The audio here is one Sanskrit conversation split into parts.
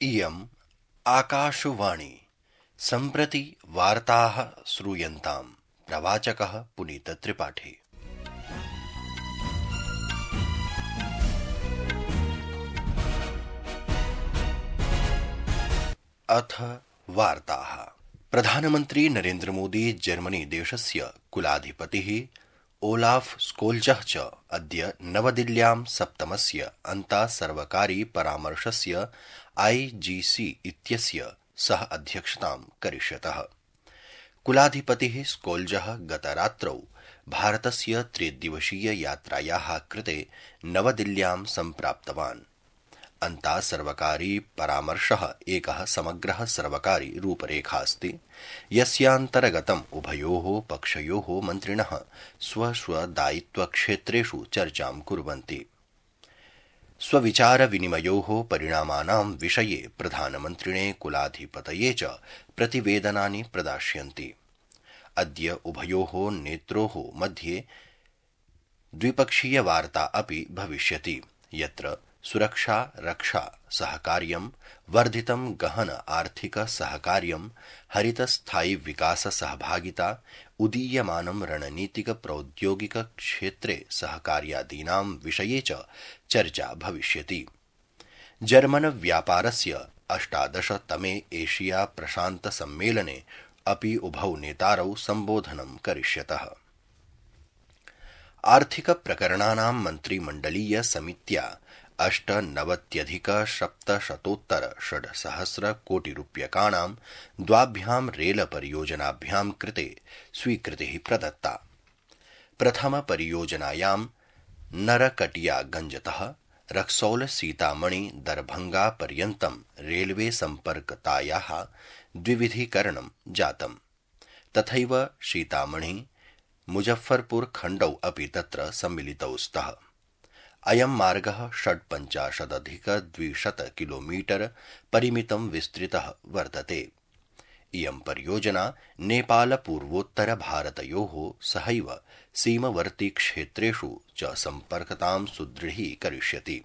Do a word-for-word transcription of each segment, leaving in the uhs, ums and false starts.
इयम् आकाशवाणी सम्प्रति वार्ताः श्रूयन्ताम्। प्रवाचकः पुनीतत्रिपाठी। अथ वार्ताः। प्रधानमन्त्री नरेन्द्र मोदी जर्मनी देशस्य कुलाधिपतिः ओलाफ स्कोल्जः च अद्य नवदिल्ल्यां सप्तमस्य अन्तासर्वकारि परामर्शस्य आई जी सी इत्यस्य सह अध्यक्षतां करिष्यतः। कुलाधिपतिः स्कोल्जः गतरात्रौ भारतस्य त्रिदिवसीय यात्रायाः कृते नवदिल्ल्यां सम्प्राप्तवान्। अन्तासर्वकारि परामर्शः एकः समग्रः सर्वकारि रूपरेखास्ति, यस्यान्तर्गतम् उभयोः पक्षयोः मन्त्रिणः स्वस्वदायित्वक्षेत्रेषु चर्चां कुर्वन्ति। स्वविचारविनिमयोः परिणामानां विषये प्रधानमन्त्रिणे कुलाधिपतये च प्रतिवेदनानि प्रदास्यन्ति। अद्य उभयोः नेत्रोः मध्ये द्विपक्षीयवार्ता अपि भविष्यति, यत्र सुरक्षा रक्षा सहकार्यं, वर्धितं गहन आर्थिक सहकार्यं, हरित स्थायि विकास सहभागिता, उदीयमानं रणनीतिक प्रौद्योगिक क्षेत्रे सहकार्यादीनां विषये च चर्चा भविष्यति। जर्मन व्यापारस्य अष्टादशतमे एशिया प्रशान्त सम्मेलने अपि उभौ नेतारौ सम्बोधनं करिष्यतः। आर्थिक प्रकरणानां मन्त्रिमण्डलीय समित्या अष्टनवत्यधिक सप्तशतोत्तर षड्सहस्र कोटिरूप्यकाणां द्वाभ्यां रेल परियोजनाभ्यां कृते स्वीकृतिः प्रदत्ता। प्रथम परियोजनायां नरकटियागंजतः रक्सौल सीतामणि दरभंगा पर्यन्तं रेलवे सम्पर्कतायाः द्विविधीकरणं जातम्। तथैव सीतामणि मुजफ्फरपुर खण्डौ अपि तत्र सम्मिलितौ स्तः। अयं मार्गः षड्पञ्चाशदधिक द्विशत किलोमीटर परिमितं विस्तृतः वर्तते। इयं परियोजना नेपाल पूर्वोत्तर भारतयोः सहैव सीमवर्ती क्षेत्रेषु च सम्पर्कतां सुदृढीकरिष्यति।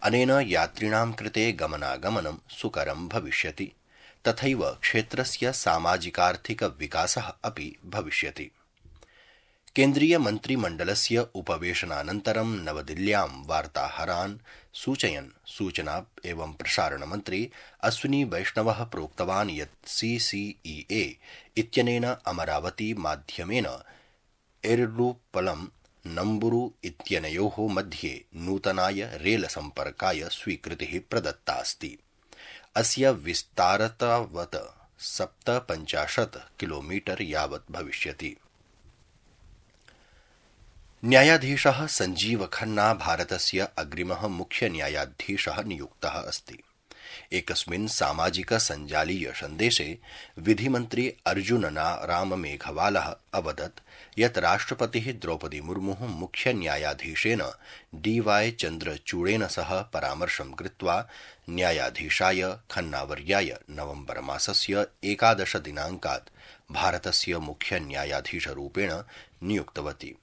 अनेन यात्रिणां कृते गमनागमनं सुकरं भविष्यति, तथैव क्षेत्रस्य सामाजिकार्थिक विकासः अपि भविष्यति। केन्द्रीय मन्त्रिमण्डलस्य उपवेशनानन्तरं नवदिल्ल्यां वार्ताहरान् सूचयन् सूचना एवं प्रसारण मन्त्री अश्विनी वैष्णवः प्रोक्तवान् यत् सी सी ई ए इत्यनेन अमरावती माध्यमेन एर्नाकुलम नम्बुरु इत्यनयोः मध्ये नूतनाय रेल सम्पर्काय स्वीकृतिः प्रदत्तास्ति। अस्य विस्तारतावत् सप्तपञ्चाशत् किलोमीटर यावत् भविष्यति। न्यायाधीशः संजीव खन्ना भारतस्य अग्रिमः मुख्य न्यायाधीशः नियुक्तः अस्ति। एकस्मिन् सामाजिक सञ्जालीय सन्देशे विधिमन्त्री अर्जुन राम मेघवालः अवदत् यत् राष्ट्रपतिः द्रौपदी मुर्मुः मुख्य न्यायाधीशेन डी वाई चन्द्रचूडेन सह परामर्शं कृत्वा न्यायाधीशाय खन्नावर्याय नवम्बर मासस्य एकादश दिनाङ्कात् भारतस्य मुख्य न्यायाधीशरूपेण नियुक्तवती।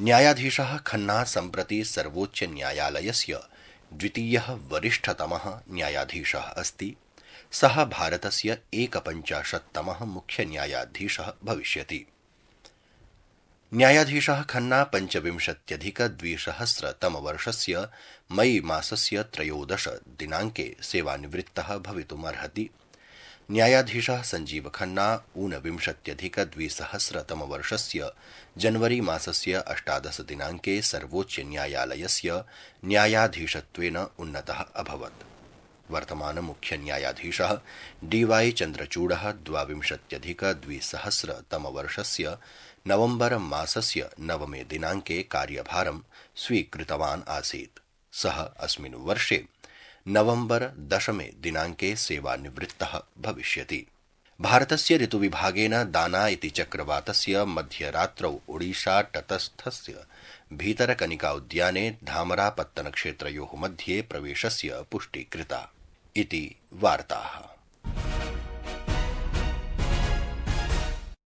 न्यायाधीशः खन्ना सम्प्रति सर्वोच्च न्यायालयस्य द्वितीयः वरिष्ठतमः न्यायाधीशः अस्ति। सः भारतस्य एकपञ्चाशत्तमः मुख्य न्यायाधीशः भविष्यति। न्यायाधीशः खन्ना पञ्चविंशत्यधिक द्विसहस्रतमवर्षस्य मई मासस्य त्रयोदश दिनाङ्के सेवानिवृत्तः भवितुमर्हति। न्यायाधीशः संजीव खन्ना ऊनविंशत्यधिक द्विसहस्रतमवर्षस्य जनवरी मासस्य अष्टादश दिनाङ्के सर्वोच्च न्यायालयस्य न्यायाधीशत्वेन उन्नतः अभवत्। वर्तमान मुख्य न्यायाधीशः डी वाई चन्द्रचूडः द्वाविंशत्यधिक द्विसहस्रतमवर्षस्य नवम्बर मासस्य नवमे दिनाङ्के कार्यभारं स्वीकृतवान् आसीत्। सः अस्मिन् वर्षे नवम्बर दशमे दिनाङ्के सेवानिवृत्तः भविष्यति। भारतस्य ऋतुविभागेन दाना इति चक्रवातस्य मध्यरात्रौ ओडिशा तटस्थस्य भीतरकनिका उद्याने धामरापत्तनक्षेत्रयोः मध्ये प्रवेशस्य पुष्टि कृता इति वार्ताः।